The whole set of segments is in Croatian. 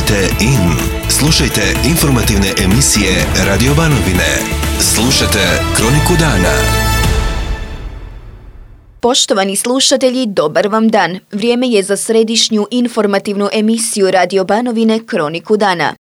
Kliknite in. Slušajte informativne emisije Radio Banovine. Slušajte Kroniku dana. Poštovani slušatelji, dobar vam dan. Vrijeme je za središnju informativnu emisiju Radio Banovine Kroniku dana.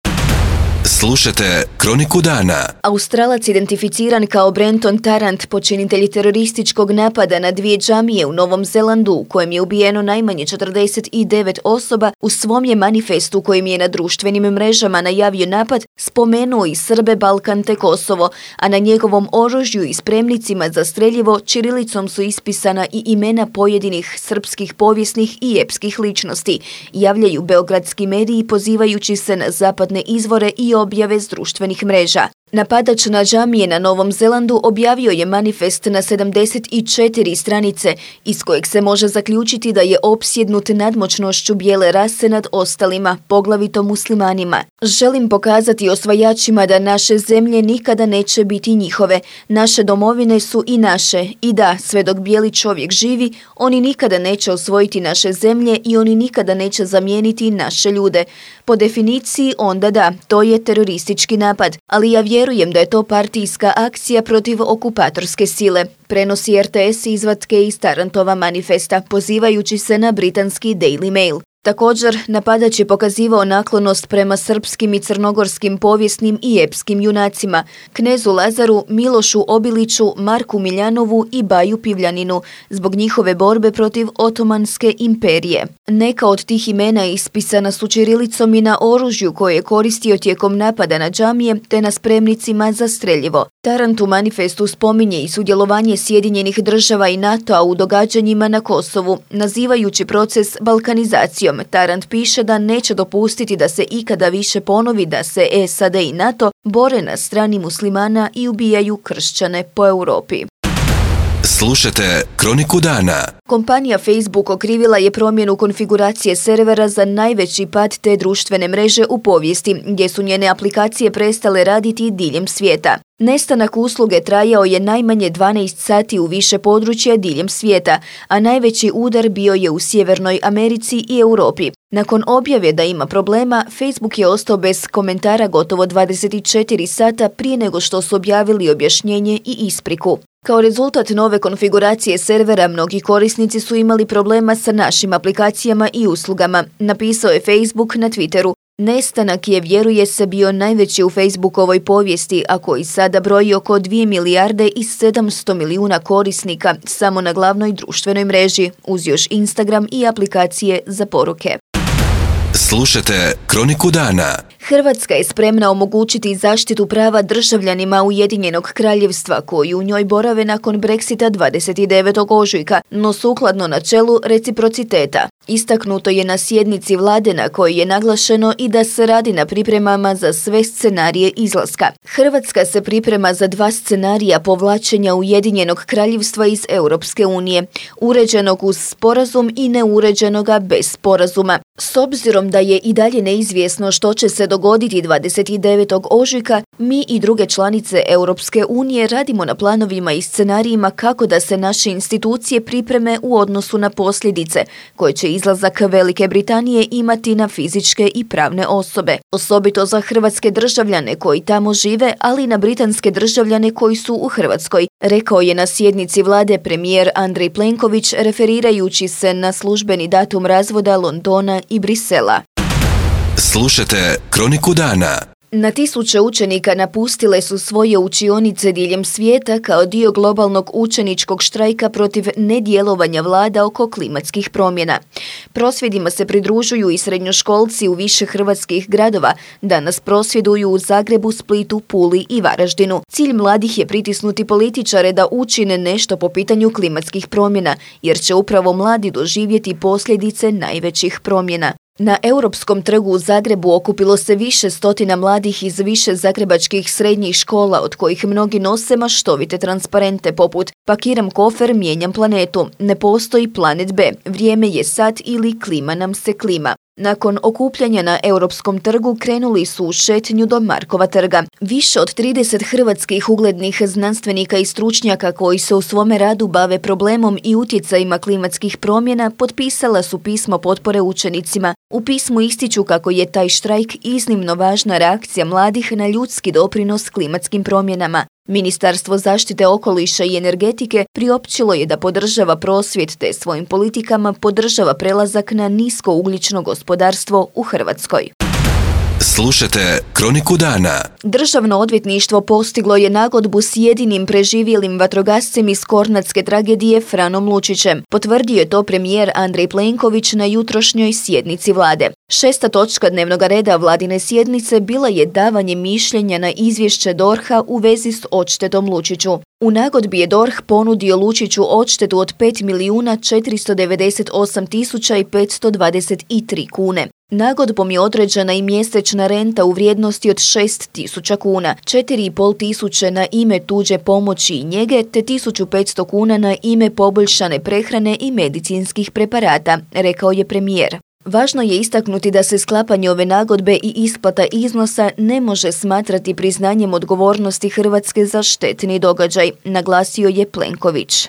Slušajte Kroniku dana. Australac identificiran kao Brenton Tarrant, počinitelj terorističkog napada na 2 džamije u Novom Zelandu, u kojem je ubijeno najmanje 49 osoba, u svom je manifestu kojim je na društvenim mrežama najavio napad spomenuo i Srbe, Balkan te Kosovo, a na njegovom oružju i spremnicima za streljivo ćirilicom su ispisana i imena pojedinih srpskih povijesnih i epskih ličnosti, javljaju beogradski mediji pozivajući se na zapadne izvore i objave s društvenih mreža. Napadač na džamije na Novom Zelandu objavio je manifest na 74 stranice, iz kojeg se može zaključiti da je opsjednut nadmoćnošću bijele rase nad ostalima, poglavito muslimanima. Želim pokazati osvajačima da naše zemlje nikada neće biti njihove. Naše domovine su i naše. I da, sve dok bijeli čovjek živi, oni nikada neće osvojiti naše zemlje i oni nikada neće zamijeniti naše ljude. Po definiciji onda da, to je teroristički napad, ali ja vjerujem da je to partijska akcija protiv okupatorske sile, prenosi RTS izvatke iz Tarrantova manifesta, pozivajući se na britanski Daily Mail. Također, napadač je pokazivao naklonost prema srpskim i crnogorskim povijesnim i epskim junacima, knezu Lazaru, Milošu Obiliću, Marku Miljanovu i Baju Pivljaninu, zbog njihove borbe protiv Otomanske imperije. Neka od tih imena ispisana su ćirilicom i na oružju koje je koristio tijekom napada na džamije te na spremnicima za streljivo. Tarrant u manifestu spominje i sudjelovanje Sjedinjenih država i NATO-a u događanjima na Kosovu, nazivajući proces balkanizacijom. Tarrant piše da neće dopustiti da se ikada više ponovi da se SAD i NATO bore na strani muslimana i ubijaju kršćane po Europi. Slušajte Kroniku dana. Kompanija Facebook okrivila je promjenu konfiguracije servera za najveći pad te društvene mreže u povijesti, gdje su njene aplikacije prestale raditi diljem svijeta. Nestanak usluge trajao je najmanje 12 sati u više područja diljem svijeta, a najveći udar bio je u Sjevernoj Americi i Europi. Nakon objave da ima problema, Facebook je ostao bez komentara gotovo 24 sata prije nego što su objavili objašnjenje i ispriku. Kao rezultat nove konfiguracije servera, mnogi korisnici su imali problema sa našim aplikacijama i uslugama, napisao je Facebook na Twitteru. Nestanak je, vjeruje se, bio najveći u Facebookovoj povijesti, a koji sada broji oko 2 milijarde i 700 milijuna korisnika samo na glavnoj društvenoj mreži, uz još Instagram i aplikacije za poruke. Slušajte Kroniku dana. Hrvatska je spremna omogućiti zaštitu prava državljanima Ujedinjenog kraljevstva koji u njoj borave nakon Brexita 29. ožujka, no sukladno načelu reciprociteta. Istaknuto je na sjednici vlade na kojoj je naglašeno i da se radi na pripremama za sve scenarije izlaska. Hrvatska se priprema za 2 scenarija povlačenja Ujedinjenog kraljevstva iz Europske unije, uređenog uz sporazum i neuređenoga bez sporazuma. S obzirom da je i dalje neizvjesno što će se dogoditi 29. ožujka, mi i druge članice Europske unije radimo na planovima i scenarijima kako da se naše institucije pripreme u odnosu na posljedice koje će izlazak Velike Britanije imati na fizičke i pravne osobe. Osobito za hrvatske državljane koji tamo žive, ali i na britanske državljane koji su u Hrvatskoj, rekao je na sjednici vlade premijer Andrej Plenković referirajući se na službeni datum razvoda Londona i Brisela. Slušajte Kroniku dana. Na tisuće učenika napustile su svoje učionice diljem svijeta kao dio globalnog učeničkog štrajka protiv nedjelovanja vlada oko klimatskih promjena. Prosvjedima se pridružuju i srednjoškolci u više hrvatskih gradova. Danas prosvjeduju u Zagrebu, Splitu, Puli i Varaždinu. Cilj mladih je pritisnuti političare da učine nešto po pitanju klimatskih promjena, jer će upravo mladi doživjeti posljedice najvećih promjena. Na Europskom trgu u Zagrebu okupilo se više stotina mladih iz više zagrebačkih srednjih škola, od kojih mnogi nose maštovite transparente poput "Pakiram kofer, mijenjam planetu", "Ne postoji planet B", "Vrijeme je sad" ili "Klima nam se klima". Nakon okupljanja na Europskom trgu krenuli su u šetnju do Markova trga. Više od 30 hrvatskih uglednih znanstvenika i stručnjaka koji se u svome radu bave problemom i utjecajima klimatskih promjena potpisala su pismo potpore učenicima. U pismu ističu kako je taj štrajk iznimno važna reakcija mladih na ljudski doprinos klimatskim promjenama. Ministarstvo zaštite okoliša i energetike priopćilo je da podržava prosvjed te svojim politikama podržava prelazak na niskougljično gospodarstvo u Hrvatskoj. Slušajte Kroniku dana. Državno odvjetništvo postiglo je nagodbu s jedinim preživjelim vatrogascem iz kornatske tragedije Franom Lučićem. Potvrdio je to premijer Andrej Plenković na jutrošnjoj sjednici vlade. 6. točka dnevnog reda vladine sjednice bila je davanje mišljenja na izvješće DORH-a u vezi s odštetom Lučiću. U nagodbi je DORH ponudio Lučiću odštetu od 5.498.523 kune. Nagodbom je određena i mjesečna renta u vrijednosti od 6.000 kuna, 4.500 na ime tuđe pomoći i njege, te 1.500 kuna na ime poboljšane prehrane i medicinskih preparata, rekao je premijer. Važno je istaknuti da se sklapanje ove nagodbe i isplata iznosa ne može smatrati priznanjem odgovornosti Hrvatske za štetni događaj, naglasio je Plenković.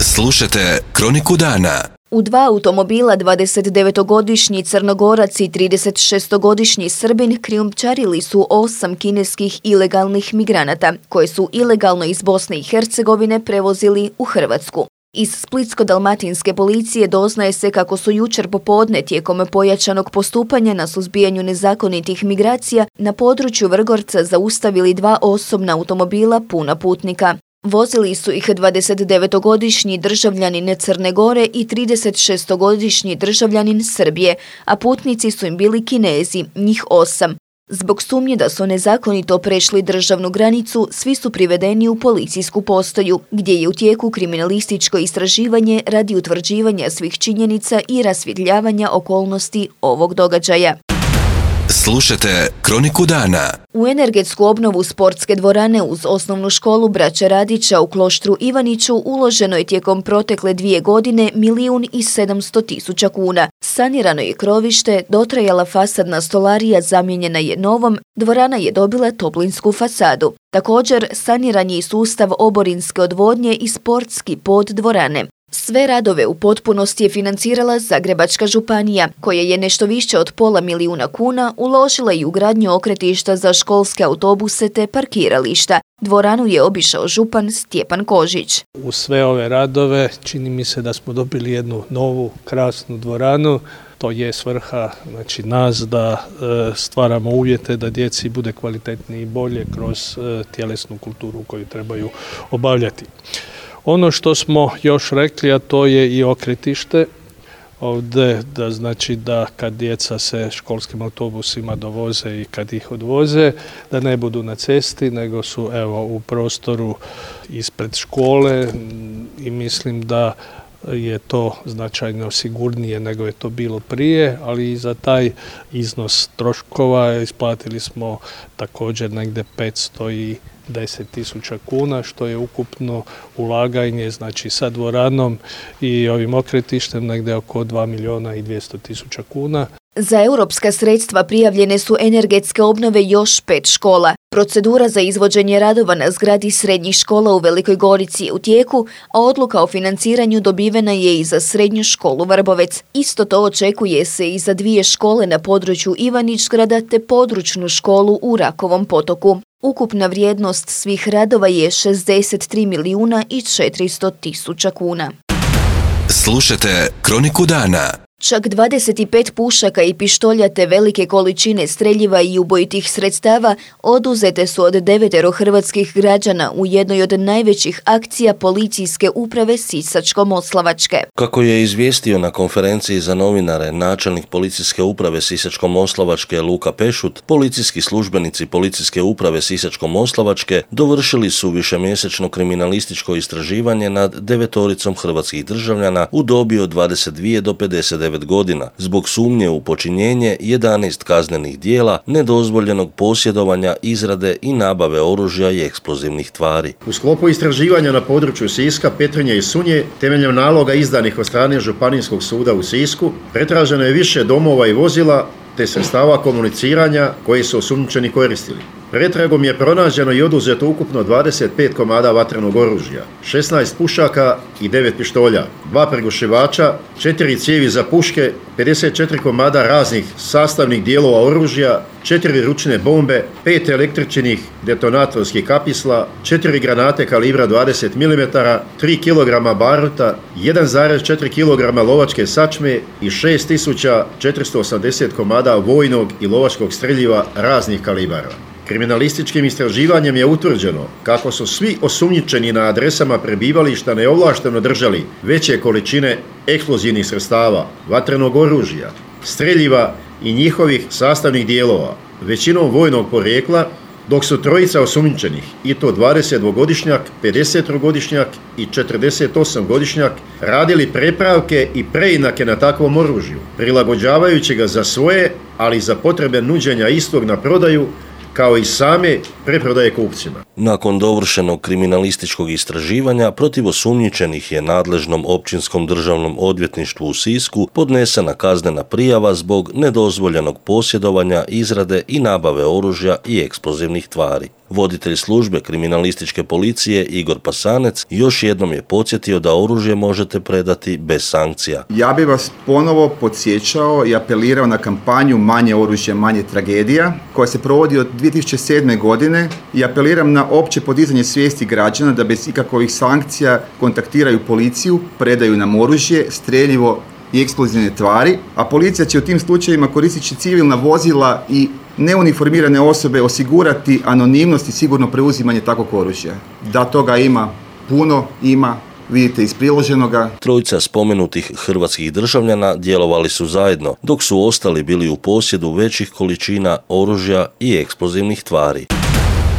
Slušajte Kroniku dana. U 2 automobila 29-godišnji Crnogorac i 36-godišnji Srbin krijumčarili su 8 kineskih ilegalnih migranata, koje su ilegalno iz Bosne i Hercegovine prevozili u Hrvatsku. Iz Splitsko-dalmatinske policije doznaje se kako su jučer popodne tijekom pojačanog postupanja na suzbijanju nezakonitih migracija na području Vrgorca zaustavili 2 osobna automobila puna putnika. Vozili su ih 29-godišnji državljanin Crne Gore i 36-godišnji državljanin Srbije, a putnici su im bili Kinezi, njih 8. Zbog sumnje da su nezakonito prešli državnu granicu, svi su privedeni u policijsku postaju, gdje je u tijeku kriminalističko istraživanje radi utvrđivanja svih činjenica i rasvjetljavanja okolnosti ovog događaja. Slušajte Kroniku dana. U energetsku obnovu sportske dvorane uz osnovnu školu Braće Radića u Kloštru Ivaniću uloženo je tijekom protekle 2 godine 1.700.000 kuna. Sanirano je krovište, dotrajala fasadna stolarija zamijenjena je novom, dvorana je dobila toplinsku fasadu. Također, saniran je i sustav oborinske odvodnje i sportski pod dvorane. Sve radove u potpunosti je financirala Zagrebačka županija, koja je nešto više od $500.000 kuna uložila i u gradnju okretišta za školske autobuse te parkirališta. Dvoranu je obišao župan Stjepan Kožić. U sve ove radove čini mi se da smo dobili jednu novu, krasnu dvoranu. To je svrha nas da stvaramo uvjete da djeci bude kvalitetnije i bolje kroz tjelesnu kulturu koju trebaju obavljati. Ono što smo još rekli, a to je i okretište, ovdje da kad djeca se školskim autobusima dovoze i kad ih odvoze, da ne budu na cesti, nego su u prostoru ispred škole i mislim da je to značajno sigurnije nego je to bilo prije, ali i za taj iznos troškova isplatili smo također negdje 510.000 kuna, što je ukupno ulaganje sa dvoranom i ovim okretištem negdje oko 2.200.000 kuna. Za europska sredstva prijavljene su energetske obnove još 5 škola. Procedura za izvođenje radova na zgradi srednjih škola u Velikoj Gorici je u tijeku, a odluka o financiranju dobivena je i za srednju školu Vrbovec. Isto to očekuje se i za 2 škole na području Ivanić-grada te područnu školu u Rakovom potoku. Ukupna vrijednost svih radova je 63.400.000 kuna. Slušajte Kroniku dana. Čak 25 pušaka i pištolja te velike količine streljiva i ubojitih sredstava oduzete su od 9 hrvatskih građana u jednoj od najvećih akcija policijske uprave Sisačko-moslavačke. Kako je izvijestio na konferenciji za novinare načelnik policijske uprave Sisačko-moslavačke Luka Pešut, policijski službenici policijske uprave Sisačko-moslavačke dovršili su višemjesečno kriminalističko istraživanje nad 9 hrvatskih državljana u dobi od 22 do 59 9 godina zbog sumnje u počinjenje 11 kaznenih djela nedozvoljenog posjedovanja, izrade i nabave oružja i eksplozivnih tvari. U sklopu istraživanja na području Siska, Petrinje i Sunje, temeljem naloga izdanih od strane Županijskog suda u Sisku, pretraženo je više domova i vozila te sredstava komuniciranja koji su osumnjičeni koristili. Pretragom je pronađeno i oduzeto ukupno 25 komada vatrenog oružja, 16 pušaka i 9 pištolja, 2 prigušivača, 4 cijevi za puške, 54 komada raznih sastavnih dijelova oružja, 4 ručne bombe, 5 električnih detonatorskih kapisla, 4 granate kalibra 20 mm, 3 kg baruta, 1,4 kg lovačke sačme i 6480 komada vojnog i lovačkog streljiva raznih kalibara. Kriminalističkim istraživanjem je utvrđeno kako su svi osumnjičeni na adresama prebivališta neovlašteno držali veće količine eksplozivnih sredstava, vatrenog oružja, streljiva i njihovih sastavnih dijelova, većinom vojnog porijekla, dok su trojica osumnjičenih, i to 22-godišnjak, 53-godišnjak i 48-godišnjak, radili prepravke i preinake na takvom oružju, prilagođavajući ga za svoje, ali i za potrebe nuđenja istog na prodaju, kao i same preprodaje kupcima. Nakon dovršenog kriminalističkog istraživanja protiv osumnjičenih je nadležnom Općinskom državnom odvjetništvu u Sisku podnesena kaznena prijava zbog nedozvoljenog posjedovanja, izrade i nabave oružja i eksplozivnih tvari. Voditelj službe kriminalističke policije Igor Pasanec još jednom je podsjetio da oružje možete predati bez sankcija. Ja bih vas ponovo podsjećao i apelirao na kampanju Manje oružja, manje tragedija, koja se provodi od 2007. godine, i apeliram na opće podizanje svijesti građana da bez ikakvih sankcija kontaktiraju policiju, predaju nam oružje, streljivo i eksplozivne tvari, a policija će u tim slučajevima, koristeći civilna vozila i neuniformirane osobe, osigurati anonimnost i sigurno preuzimanje takvog oružja. Da toga ima puno, vidite iz priloženoga. Trojica spomenutih hrvatskih državljana djelovali su zajedno, dok su ostali bili u posjedu većih količina oružja i eksplozivnih tvari.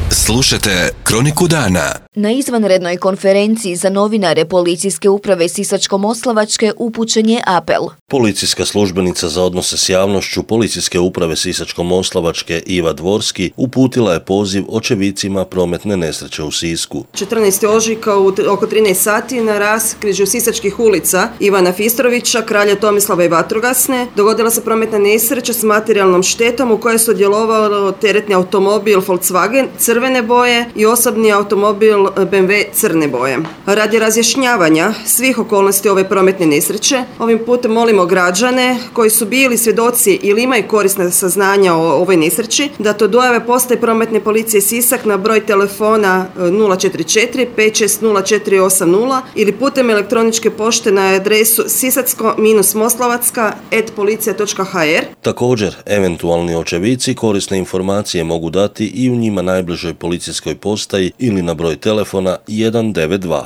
Slušajte Kroniku dana. Na izvanrednoj konferenciji za novinare Policijske uprave Sisačko-moslavačke upućen je apel. Policijska službenica za odnose s javnošću Policijske uprave Sisačko-moslavačke Iva Dvorski uputila je poziv očevicima prometne nesreće u Sisku. 14. ožujka oko 13 sati na raskrižju Sisačkih ulica Ivana Fistrovića, Kralja Tomislava i Vatrogasne dogodila se prometna nesreća s materijalnom štetom u kojoj su sudjelovalo teretni automobil Volkswagen crvene boje i osobni automobil BMW crne boje. Radi razjašnjavanja svih okolnosti ove prometne nesreće, ovim putem molimo građane koji su bili svjedoci ili imaju korisna saznanja o ovoj nesreći da to dojave postaje prometne policije Sisak na broj telefona 044 560 ili putem elektroničke pošte na adresu sisacko-moslavacka@policija.hr. Također, eventualni očevici korisne informacije mogu dati i u njima najbližoj policijskoj postaji ili na broj telefona 192.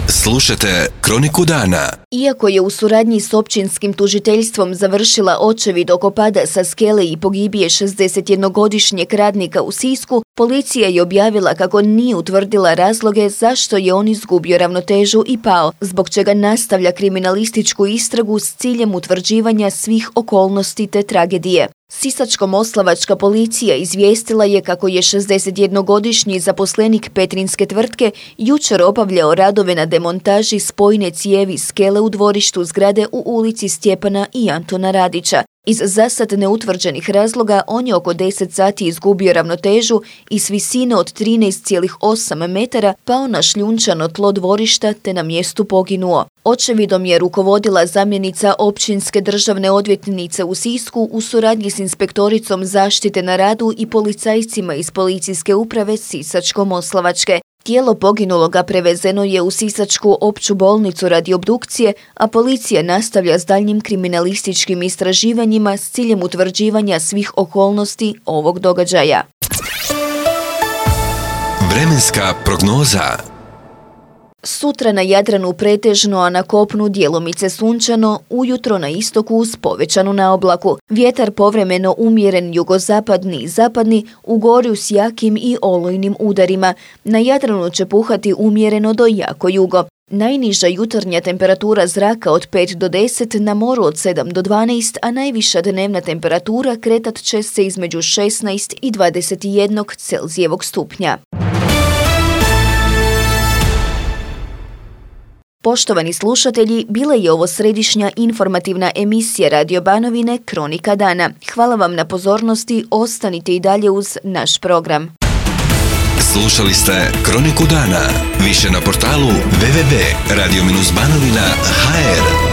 Slušajte Kroniku dana. Iako je u suradnji s općinskim tužiteljstvom završila očevid oko pada sa skele i pogibije 61-godišnjeg radnika u Sisku, policija je objavila kako nije utvrdila razloge zašto je on izgubio ravnotežu i pao, zbog čega nastavlja kriminalističku istragu s ciljem utvrđivanja svih okolnosti te tragedije. Sisačko-moslavačka policija izvijestila je kako je 61-godišnji zaposlenik petrinjske tvrtke jučer obavljao radove na demontaži spojne cijevi skele u dvorištu zgrade u ulici Stjepana i Antona Radića. Iz zasad neutvrđenih razloga on je oko 10 sati izgubio ravnotežu i s visine od 13,8 metara pao na šljunčano tlo dvorišta te na mjestu poginuo. Očevidom je rukovodila zamjenica općinske državne odvjetnice u Sisku u suradnji s inspektoricom zaštite na radu i policajcima iz Policijske uprave Sisačko-moslavačke. Tijelo poginuloga prevezeno je u Sisačku opću bolnicu radi obdukcije, a policija nastavlja s daljnjim kriminalističkim istraživanjima s ciljem utvrđivanja svih okolnosti ovog događaja. Vremenska prognoza. Sutra na Jadranu pretežno, a na kopnu djelomice sunčano, ujutro na istoku uz povećanu naoblaku. Vjetar povremeno umjeren jugozapadni i zapadni, u gorju s jakim i olujnim udarima. Na Jadranu će puhati umjereno do jako jugo. Najniža jutarnja temperatura zraka od 5 do 10, na moru od 7 do 12, a najviša dnevna temperatura kretat će se između 16 i 21 Celzijevog stupnja. Poštovani slušatelji, bila je ovo središnja informativna emisija Radio Banovine Kronika dana. Hvala vam na pozornosti, ostanite i dalje uz naš program. Slušali ste Kroniku dana. Više na portalu www.radio-banovina.hr.